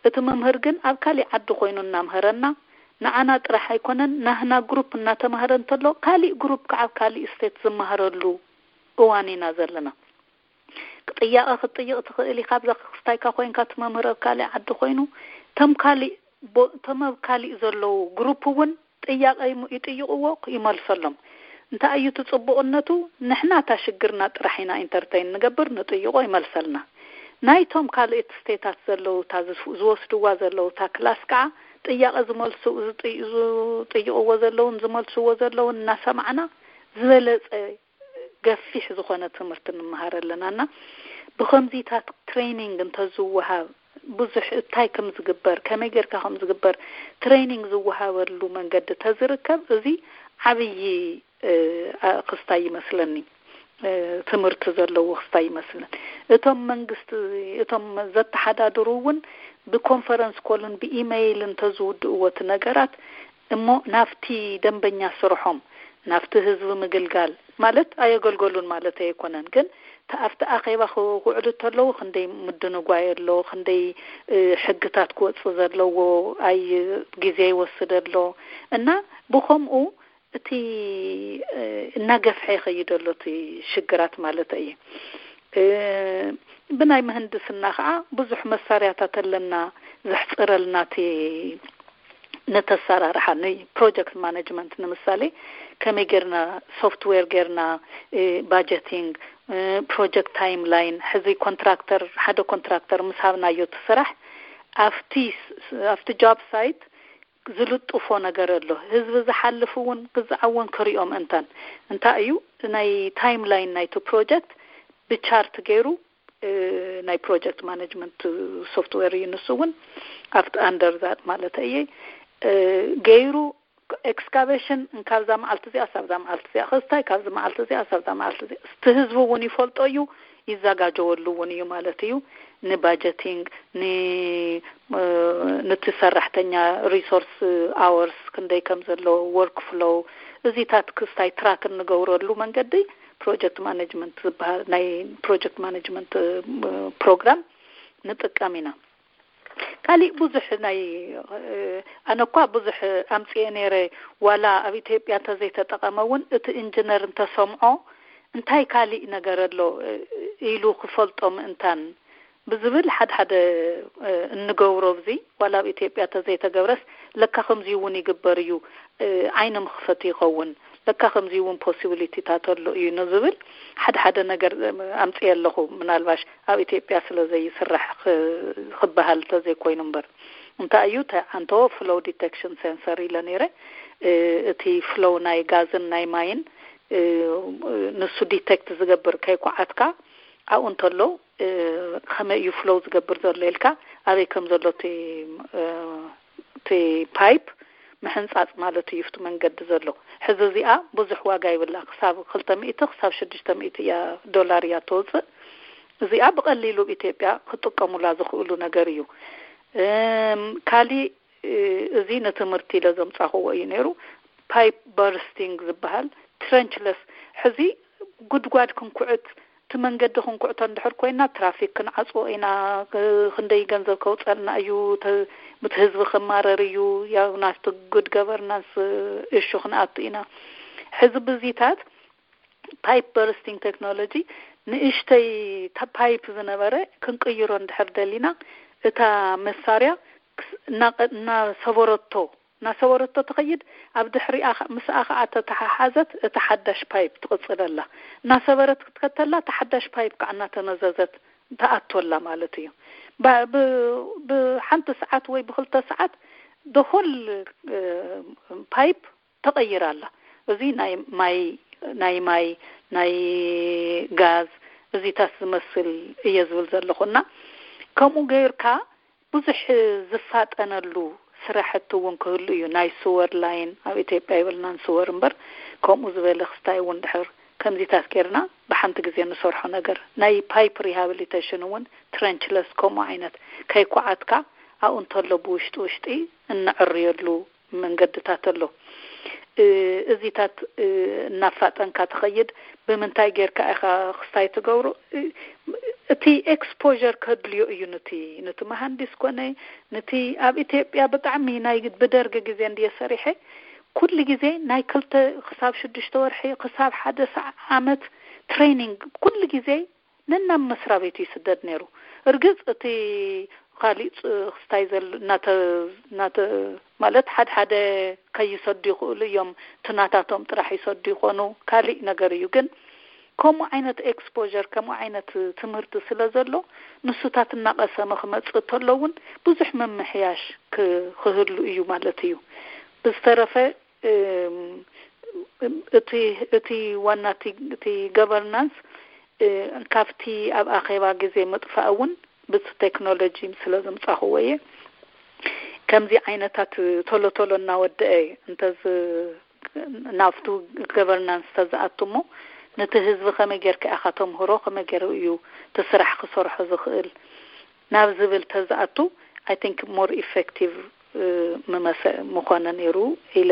እቲ መምህር ግን ኣብ ካሊእ ዓዲ ኮይኑ እናምሀረና ንዓና ጥራሕ ኣይኮነን ናህና ግሩፕ እናተማህረ እንተሎ ካሊእ ግሩፕ ከዓ ኣብ ካሊእ ስቴት ዝመሃረሉ እዋን ኢና ዘለና። ጥያቐ ክትጥይቕ ትኽእል ኢኻ። ኣብዛ ክስታይካ ኮይንካ እቲ መምህር ኣብ ካሊእ ዓዲ ኮይኑ ተም ካሊእ ተመብ ካሊእ ዘለዉ ግሩፕ እውን ጥያቐ ይጥይቕዎ ይመልሰሎም። እንታይ እዩ እቲ ፅቡቕነቱ? ንሕና እታ ሽግርና ጥራሕ ኢና ኢንተርተይን ንገብር፣ ንጥይቖ ይመልሰልና። ናይቶም ካልኦት ስቴታት ዘለዉ እታ ዝወስድዋ ዘለዉ እታ ክላስ ከዓ ጥያቐ ዝመልሱ ዝጥይቕዎ ዘለውን ዝመልስዎ ዘለውን እናሰማዕና ዝበለፀ ገፊሕ ዝኾነ ትምህርቲ ንምሃር ኣለና እና ብኸምዚታት ትሬኒንግ እንተዝወሃብ ብዙሕ እንታይ ከም ዝግበር ከመይ ጌርካ ከም ዝግበር ትሬኒንግ ዝወሃበሉ መንገዲ ተዝርከብ እዚ ዓብዪ ክስታይ ይመስለኒ። ትምህርቲ ዘለዎ ክስታይ ይመስለን። እቶም መንግስቲ እቶም ዘተሓዳድሩ እውን ብኮንፈረንስ ኮልን ብኢመይል እንተዝውድእዎ እቲ ነገራት እሞ ናብቲ ደንበኛ ስርሖም ናብቲ ህዝቢ ምግልጋል ማለት ኣየገልገሉን ማለት ኣይኮነን፣ ግን ኣብቲ ኣኼባ ክውዕሉ እንተለዉ ክንደይ ምድንጓይ ኣሎ፣ ክንደይ ሕግታት ክወፅእ ዘለዎ ኣይ ግዜ ይወስድ ኣሎ እና ብኸምኡ እቲ እናገፍሐ ይኸይድ ኣሎ እቲ ሽግራት ማለት እዩ። ብናይ ምህንድስና ከዓ ብዙሕ መሳርያታት ኣለና ዘሕፅረልና እቲ ነተሰራርሓ ንፕሮጀክት ማኔጅመንት ንምሳሌ ከመይ ጌርና ሶፍትዌር ጌርና ባጀቲንግ ፕሮጀክት ታይም ላይን ሕዚ ኮንትራክተር ሓደ ኮንትራክተር ምስ ሃብናዮ እቲ ስራሕ ኣብቲ ኣብቲ ጆብ ሳይት ዝልጥፎ ነገር ኣሎ። ህዝቢ ዝሓልፍ እውን ክዝዓውን ክሪኦ ምእንታን እንታይ እዩ ናይ ታይም ላይን ናይቲ ፕሮጀክት ብቻርት ገይሩ ናይ ፕሮጀክት ማኔጅመንት ሶፍትዌር እዩ ንሱ እውን ኣብቲ ኣንደር ዛት ማለት እየ ገይሩ ኤክስካቬሽን ካብዛ መዓልቲ እዚኣ ሳብዛ መዓልቲ እዚኣ ክስታይ ካብዚ መዓልቲ እዚኣ ሳብዛ መዓልቲ እዚኣ እቲ ህዝቢ እውን ይፈልጦ እዩ ይዘጋጀወሉ እውን እዩ ማለት እዩ። ንባጀቲንግ ንቲ ሰራሕተኛ ሪሶርስ ኣወርስ ክንደይ ከም ዘለዎ ወርክ ፍሎው እዚታት ክስታይ ትራክ እንገብረሉ መንገዲ ፕሮጀክት ማኔጅመንት ዝበሃል ናይ ፕሮጀክት ማኔጅመንት ፕሮግራም ንጥቀም ኢና። ካሊእ ብዙሕ ናይ ኣነ እኳ ብዙሕ ኣምፅኤ ነይረ ዋላ ኣብ ኢትዮጵያ እንተዘይተጠቐመ እውን እቲ ኢንጂነር እንተሰምዖ እንታይ ካሊእ ነገር ኣሎ ኢሉ ክፈልጦ ምእንታን ብዝብል ሓደ ሓደ እንገብሮ ኣብዚ ዋላ ኣብ ኢትዮጵያ እንተዘይተገብረስ ለካ ከምዚ እውን ይግበር እዩ ዓይኒ ምኽፈት ይኸውን። ለካ ከምዚ እውን possibility ታት ኣሎ እዩ ንዝብል ሓደ ሓደ ነገር ኣምፅየ ኣለኹ። ምናልባሽ ኣብ ኢትዮጵያ ስለ ዘይስራሕ ክበሃል ተዘይኮይኑ እምበር፣ እንታይ እዩ ተዓንቶ flow detection sensor ኢለ ነይረ። እቲ flow ናይ ጋዝን ናይ ማይን ንሱ detect ዝገብር ከይኳዓትካ ኣብኡ እንተሎ ከመይ እዩ flow ዝገብር ዘሎ ኢልካ ኣበይ ከም ዘሎ እቲ pipe ምሕንፃፅ ማለት እዩ። እቲ መንገዲ ዘሎ ሕዚ እዚኣ ብዙሕ ዋጋ ይብላ፣ ክሳብ ክልተ ሚእቲ ክሳብ ሽዱሽተ ሚእቲ እያ ዶላር እያ ተውፅእ። እዚኣ ብቐሊሉ ኣብ ኢትዮጵያ ክጥቀሙላ ዝኽእሉ ነገር እዩ። ካሊእ እዚ ንትምህርቲ ኢለ ዘምፃኽዎ እዩ ነይሩ። Pipe bursting ዝበሃል trenchless፣ ሕዚ ጉድጓድ ክንኩዕት እቲ መንገዲ ክንኩዕቶ እንድሕር ኮይና ትራፊክ ክንዓፅዎ ኢና። ክንደይ ገንዘብ ከውፀልና እዩ፣ ምት ህዝቢ ክማረር እዩ፣ ያው ናቲ good governance እሹ ክንኣቱ ኢና። ሕዚ ብዚታት pipe bursting technology ንእሽተይ ፓይፕ ዝነበረ ክንቅይሮ እንድሕር ደሊና እታ መሳርያ እናሰበረቶ እናሰበረቶ ትኸይድ። ኣብ ድሕሪኣ ምስኣ ከዓ ተተሓሓዘት እታ ሓዳሽ ፓይፕ ትቕፅለላ። እናሰበረት ክትከተላ እታ ሓዳሽ ፓይፕ ከዓ እናተመዘዘት ተኣቶላ ማለት እዩ። ብሓንቲ ሰዓት ወይ ብክልተ ሰዓት the whole pipe ተቐይራ ኣላ። እዚ ናይ ማይ ናይ ማይ ናይ ጋዝ እዚታት ዝመስል እየ ዝብል ዘለኹ እና ከምኡ ገይርካ ብዙሕ ዝፋጠነሉ ስራሕቲ እውን ክህሉ እዩ። ናይ ስወር ላይን ኣብ ኢትዮጵያ ይበልናን ስወር እምበር ከምኡ ዝበለ ክስታይ እውን ድሕር ከምዚታት ጌርና ብሓንቲ ግዜ ንሰርሖ ነገር ናይ pipe rehabilitation እውን trenchless ከምኡ ዓይነት ከይኳዓትካ ኣብኡ እንተሎ ብውሽጢ ውሽጢ እንዕርየሉ መንገድታት ኣሎ። እዚታት እናፋጠንካ ትኸይድ። ብምንታይ ጌርካ ኢኻ ክስታይ ትገብሮ? እቲ exposure ከድልዮ እዩ። ንቲ ንቲ መሃንዲስ ኮነ ንቲ ኣብ ኢትዮጵያ ብጣዕሚ ናይ ብደርግ ግዜ እንድየ ሰሪሐ ኩሉ ግዜ ናይ ክልተ ክሳብ ሽዱሽተ ወርሒ ክሳብ ሓደ ዓመት training ኩሉ ግዜ ነናብ መስሪያ ቤቱ ይስደድ ነይሩ። እርግፅ እቲ ካሊእ ክስታይ ዘሎ እናተ እናተ ማለት ሓደ ሓደ ከይሰዱ ይኽእሉ እዮም፣ ትናታቶም ጥራሕ ይሰዱ ይኾኑ፣ ካሊእ ነገር እዩ። ግን ከምኡ ዓይነት exposure ከምኡ ዓይነት ትምህርቲ ስለ ዘሎ ንሱታት እናቐሰመ ክመፅእ እንተሎ እውን ብዙሕ ምምሕያሽ ክህሉ እዩ ማለት እዩ። ብዝተረፈ እቲ እቲ ዋና እቲ governance ካብቲ ኣብ ኣኼባ ግዜ ምጥፋእ እውን ብቲ ቴክኖሎጂ ስለ ዘምፃኽዎ እየ። ከምዚ ዓይነታት ቶሎ ቶሎ እናወደአ እንተዝ ናብቱ governance ተዝኣቱ እሞ ነቲ ህዝቢ ከመይ ጌርካ ኢኻ ተምህሮ፣ ከመይ ገይሩ እዩ እቲ ስራሕ ክሰርሖ ዝኽእል ናብ ዝብል ተዝኣቱ I think more effective ምመሰ ምኾነ ነይሩ ኢለ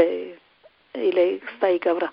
ኢለ ክስታይ ይገብራ።